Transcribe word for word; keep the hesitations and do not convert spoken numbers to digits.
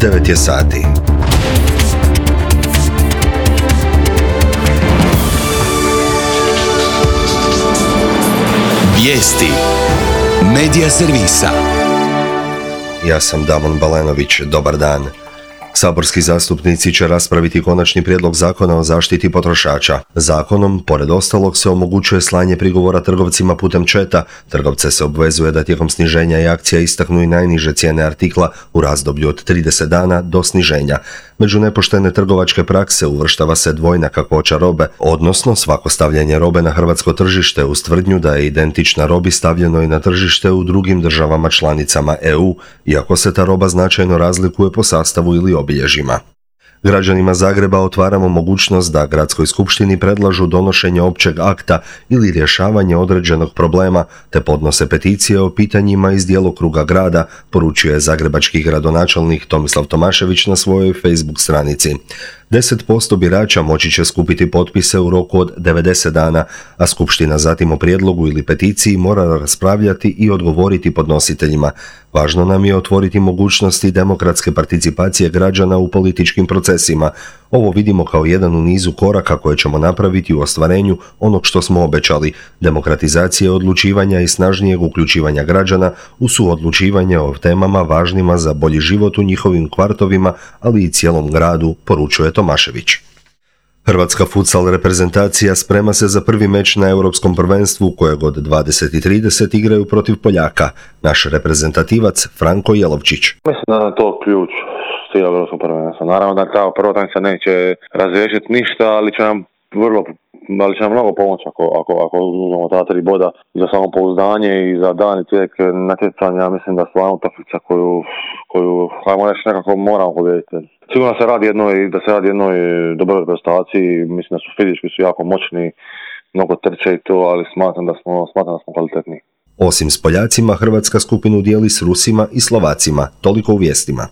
devet je sati. Vijesti Medija servisa. Ja sam Damon Balenović, dobar dan. Saborski zastupnici će raspraviti konačni prijedlog zakona o zaštiti potrošača. Zakonom, pored ostalog, se omogućuje slanje prigovora trgovcima putem chata. Trgovce se obvezuje da tijekom sniženja i akcija istaknu i najniže cijene artikla u razdoblju od trideset dana do sniženja. Među nepoštene trgovačke prakse uvrštava se dvojna kakvoća robe, odnosno svako stavljanje robe na hrvatsko tržište uz tvrdnju da je identična robi stavljeno i na tržište u drugim državama članicama E U, iako se ta roba značajno razlikuje po sastavu ili obilježjima. Građanima Zagreba otvaramo mogućnost da Gradskoj skupštini predlažu donošenje općeg akta ili rješavanje određenog problema, te podnose peticije o pitanjima iz djelokruga grada, poručio je zagrebački gradonačelnik Tomislav Tomašević na svojoj Facebook stranici. deset posto birača moći će skupiti potpise u roku od devedeset dana, a skupština zatim o prijedlogu ili peticiji mora raspravljati i odgovoriti podnositeljima. Važno nam je otvoriti mogućnosti demokratske participacije građana u političkim procesima. Ovo vidimo kao jedan u nizu koraka koje ćemo napraviti u ostvarenju onog što smo obećali, demokratizacije odlučivanja i snažnijeg uključivanja građana u suodlučivanje o temama važnima za bolji život u njihovim kvartovima, ali i cijelom gradu, poručuje Tomašević. Hrvatska futsal reprezentacija sprema se za prvi meč na Europskom prvenstvu kojeg od dvadeset i trideset igraju protiv Poljaka. Naš reprezentativac Franko Jelovčić. Mislim da je to ključ svih Europskog prvenstva. Naravno da ta prva utakmica neće razriješiti ništa, ali će nam vrlo ali će nam mnogo pomoći ako, ako, ako uzmemo ta tri boda i za samopouzdanje i za dan tijek natjecanja. Mislim da stvarno utakmica koju, koju hajmo reći nekako moramo pobijediti. Sigurno se radi jednoj, da se radi jednoj dobroj prestaciji, mislim da su fizički su jako moćni, mnogo trče i to, ali smatram da smo, smatram da smo kvalitetni. Osim s Poljacima, Hrvatska skupinu dijeli s Rusima i Slovacima, toliko u vijestima.